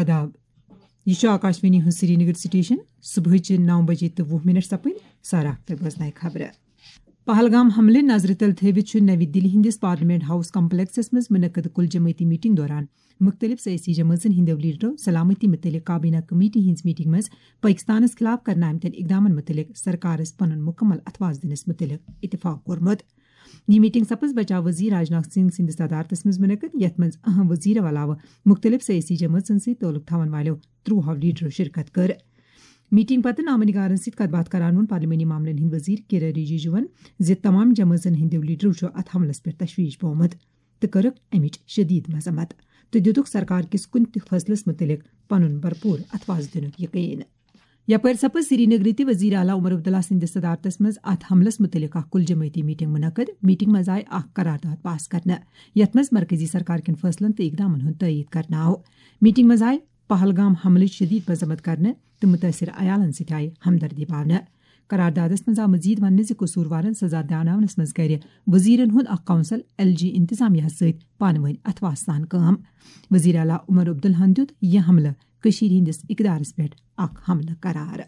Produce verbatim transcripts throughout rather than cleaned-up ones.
آداب۔ یہِ چھُ آکاشوانی ہُنٛد سرینگر سٹیشن۔ صبحٕچہِ نو بجے تہٕ وُہ منٹ سپٕدۍ۔ سارا اختر بوزنایہِ خبرٕ۔ پہلگام حملہٕ نظرِ تل تھٲوِتھ چھُ نَوِ دِلہِ ہٕنٛدِس پارلیمنٹ ہاؤس کمپلیکسس منٛز منعقد کل جمٲعتی میٹنگ دوران مُختٔلِف سیٲسی جمٲژن ہٕنٛدیو لیڈرو سلامتی مُتعلق کابینہ کمیٹی ہٕنٛز میٹنگ منٛز پٲکستانس خلاف کرنہٕ آمتٮ۪ن اقدامن مُتعلق سرکارس پنُن مُکمل اتھواز دِنس مُتعلق اتفاق کوٚرمُت۔ یہِ میٹنگ سپٕز بچاو وزیر راجناتھ سنگھ سٕنٛدِس صدارتس منٛز منعقد، یتھ منٛز اہم وزیرو علاوٕ مُختٔلِف سیٲسی جمٲژن سۭتۍ تعلق تھاون والٮ۪و ترٛوہو لیڈرو شرکت کٔر۔ میٹنگ پتہٕ نامہ نگارن سۭتۍ کتھ باتھ کران ووٚن پارلیمانی معاملن ہٕنٛدۍ وزیر کِرن رجیجوَن زِ تمام جمٲژن ہٕنٛدیو لیڈرو چھُ اتھ حملس پٮ۪ٹھ تشویش بومت تہٕ کٔرٕکھ امِچ شدید مذمت تہٕ دِتُکھ سرکار کِس کُنہِ تہِ فٲصلس مُتعلق پنُن بھرپور اتھواز دِنُک یقین۔ یپٲرۍ سپٕز سرینگرٕ تہِ وزیر اعلیٰ عمر عبداللہ سٕنٛدِس صدارتس منٛز اتھ حملس مُتعلق اکھ کل جمٲعتی میٹنگ منعقد۔ میٹنگ منٛز آیہِ اکھ قرارداد پاس کرنہٕ، یتھ منٛز مرکزی سرکار کٮ۪ن فٲصلن تہٕ اقدامن ہُنٛد تٲیید کرنہٕ آو۔ میٹنگ منٛز آیہِ پہلگام حملٕچ شدید مذمت کرنہٕ تہٕ مُتٲثر عیالن سۭتۍ آیہِ ہمدردی باونہٕ۔ قراردادس منٛز آو مزید وننہٕ زِ قصوٗروارن سزا دیاناونس منٛز کرِ وزیرن ہُنٛد اکھ کونسل ایل جی انتظامیہ سۭتۍ پانہٕ وٲنۍ اتھواس سان کٲم۔ وزیر اعلیٰ عمر عبداللہن دیُت یہِ حملہٕ کٔشیٖرِ ہٕنٛدِس اقدارس پٮ۪ٹھ اکھ حملہٕ قرار۔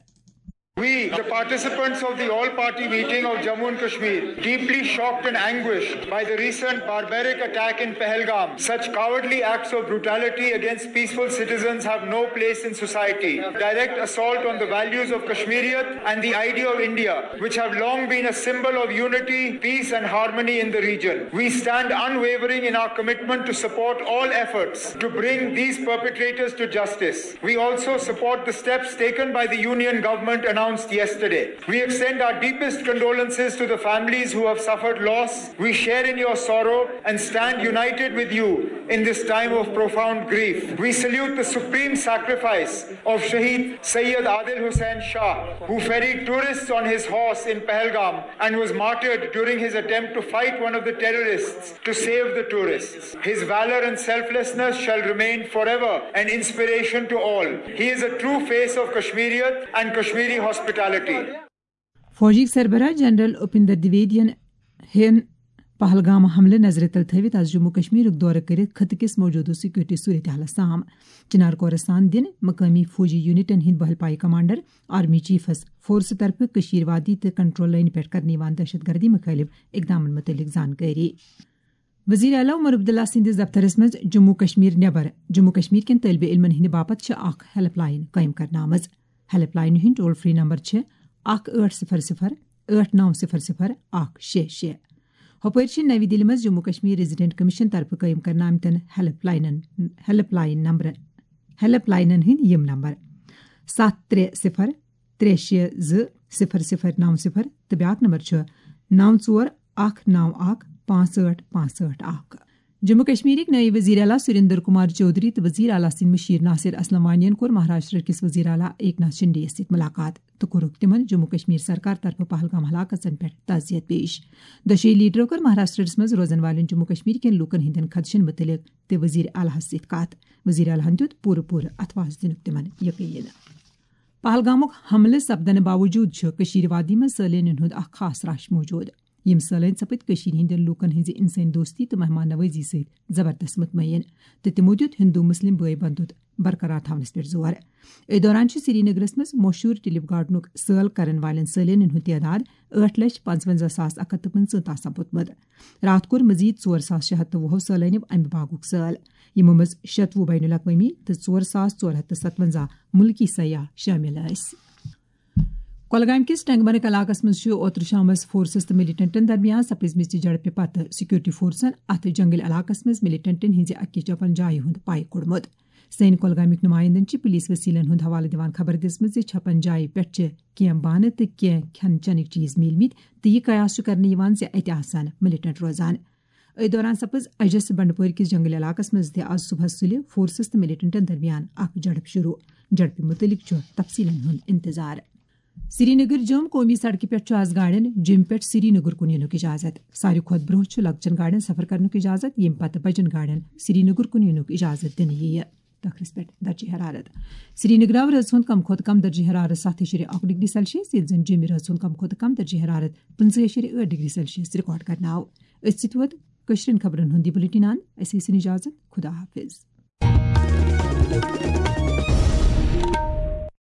We, the participants of the all-party meeting of Jammu and Kashmir, deeply shocked and anguished by the recent barbaric attack in Pahalgam. Such cowardly acts of brutality against peaceful citizens have no place in society. Direct assault on the values of Kashmiriyat and the idea of India, which have long been a symbol of unity, peace and harmony in the region. We stand unwavering in our commitment to support all efforts to bring these perpetrators to justice. We also support the steps taken by the Union Government announced yesterday. We extend our deepest condolences to the families who have suffered loss. We share in your sorrow and stand united with you in this time of profound grief. We salute the supreme sacrifice of Shaheed Sayyid Adil Hussain Shah, who ferried tourists on his horse in Pahalgam and was martyred during his attempt to fight one of the terrorists to save the tourists. His valor and selflessness shall remain forever an inspiration to all. He is a true face of Kashmiriyat and Kashmiri hospitality. فوجی سربراہ general Upendra دویدین ہن پہلگام حملہٕ نظرِ تل تھٲوِتھ از جموں کشمیرُک دورٕ کٔرِتھ خطہٕ کِس موجودٕ سیکورٹی صورتحالس سام۔ چنار کورس سان دِنہٕ مقٲمی فوجی یونٹن ہٕنٛدۍ بحل پایہِ کمانڈر، آرمی چیفس فورسہٕ طرفہٕ کشمیر وادی تہٕ کنٹرول لٲنہِ پٮ۪ٹھ کرنہٕ یِوان دہشت گردی مُخٲلِف اقدامن مُتعلق زانکٲری۔ وزیر اعلیٰ عمر عبداللہ سٕنٛدِس دفترس منٛز جموں کشمیر نٮ۪بر جموں کشمیر کٮ۪ن طٲلبہِ علمن ہٕنٛدِ باپتھ چھِ اکھ ہیلپ لاین قٲیِم کرنہٕ آمٕژ۔ ہیلپ لاینہِ ہٕنٛدۍ ٹول فری نمبر چھِ اکھ ٲٹھ صفر صفر ٲٹھ نو صفر صفر اکھ شےٚ شےٚ۔ ہُپٲرۍ چھِ نَوِ دِلہِ منٛز جموں کشمیر ریزیڈنٹ کمیشن طرفہٕ قٲیِم کرنہٕ آمتٮ۪ن ہیلپ لاینن، ہیلپ لاین نمبر، ہیلپ لاینن ہٕنٛدۍ یِم نمبر: ستھ ترٛےٚ صفر ترٛےٚ شےٚ زٕ صفر صفر نو صفر تہٕ بیٛاکھ نمبر چھُ نو ژور اکھ نو اکھ پانٛژھ ٲٹھ پانٛژھ ٲٹھ اکھ۔ جموں کشمیرٕکۍ نٲیِب وزیر اعلیٰ سریندر کمار چودھری تہٕ وزیر اعلیٰ سٕنٛدۍ مشیر ناصر اسلم وانین کوٚر مہاراشٹر کِس وزیر اعلیٰ ایک ناتھ شنڈے یَس سۭتۍ ملاقات تہٕ کوٚرُکھ تِمن جموں کشمیر سرکار طرفہٕ پہلگام ہلاکژن پٮ۪ٹھ تعزیت پیش۔ دۄشوٕے لیڈرو کٔر مہاراشٹرس منٛز روزن والٮ۪ن جموں کشمیر کٮ۪ن لوٗکن ہٕنٛدٮ۪ن خدشن مُتعلق تہِ وزیر اعلیٰ ہس سۭتۍ کتھ۔ وزیر اعلیٰ ہن دیُت پوٗرٕ پوٗرٕ اتھواس دِنُک تِمن یقین۔ پہلگامُک حملہٕ سپدنہٕ باوجوٗد چھُ کٔشیٖر وادی منٛز سٲلٲنین ہُنٛد اکھ خاص رش موجود۔ یِم سٲلٲنۍ سپٕدۍ کٔشیٖر ہٕنٛدٮ۪ن لوٗکن ہٕنٛزِ انسٲنی دوستی تہٕ مہمان نوٲزی سۭتۍ زبردست مطمئن، تہٕ تِمو دیُت ہندو مسلم بٲے بندُت برقرار تھاونس پٮ۪ٹھ زور۔ أتھۍ دوران چھِ سرینگرس منٛز مشہوٗر ٹیولپ گارڈنُک سٲل کرن والٮ۪ن سٲلٲنین ہُنٛد تعداد ٲٹھ لچھ پنٛژونٛزاہ ساس اکھ ہتھ تہٕ پٕنٛژٕہ تام سپُدمُت۔ راتھ کوٚر مزید ژور ساس شےٚ ہتھ تہٕ وُہو سٲلٲنیو امہِ باغُک سٲل، یِمو منٛز شتوُہ بین الاقوٲمی تہٕ ژور ساس ژور ہتھ تہٕ ستونٛزاہ مُلکی سیاح شٲمِل ٲسۍ۔ کۄلگامہِ کِس ٹنگمرگ علاقس منٛز چھُ اوترٕ شامس فورسز تہٕ ملیٹنٹن درمیان سپٕزمٕژ جھڑپہِ پتہٕ سیکورٹی فورسن اتھ جنگل علاقس منٛز ملیٹنٹن ہٕنٛزِ اکہِ چھپن جایہِ ہُنٛد پاے کوٚڑمُت۔ سٲنۍ کۄلگامیُک نُمایندن چھِ پولیس وسیلن ہُنٛد حوالہٕ دِوان خبر دِژمٕژ زِ چھپن جایہِ پٮ۪ٹھ چھِ کینٛہہ بانہٕ تہٕ کینٛہہ کھٮ۪ن چٮ۪نٕکۍ چیٖز میٖلمٕتۍ تہٕ یہِ قیاس چھُ کرنہٕ یِوان زِ اتہِ آسن ملیٹنٹ روزان۔ أتھۍ دوران سپٕز اجس بنڈپورِ کِس جنگل علاقس منٛز تہِ آز صبحس سُلہِ فورسز تہٕ ملیٹنٹن درمیان اکھ جھڑپ شروع۔ جھڑپہِ مُتعلق چھُ تفصیلن ہُنٛد انتظار۔ سرینگر جوم قومی سڑکہِ پٮ۪ٹھ چھُ آز گاڑٮ۪ن جوم پٮ۪ٹھ سرینگر کُن یِنُک اجازت۔ ساروی کھۄتہٕ برونٛہہ چھُ لۄکچٮ۪ن گاڑٮ۪ن سفر کرنُک اجازت، ییٚمہِ پتہٕ بجن گاڑٮ۪ن سرینگر کُن یِنُک اجازت دِنہٕ یِیہِ۔ تخرس پٮ۪ٹھ درجہ حرارت۔ سرینگرٕ آو رٲژ ہُنٛد کم کھۄتہٕ کم درجہ حرارت ستھ اِشارے اکھ ڈگری سیلسیس، ییٚلہِ زن جومہِ رٲژ ہُنٛد کم کھۄتہٕ کم درجہ حرارت پٕنٛژٕہ اِشارے ٲٹھ ڈگری سیلسیس ریکارڈ کرنہٕ آو۔ أتھۍ سۭتۍ ووت کٲشرٮ۪ن خبرن ہُنٛد یہِ بلیٹن۔ اَسہِ ٲسِن اجازت۔ خدا حافظ۔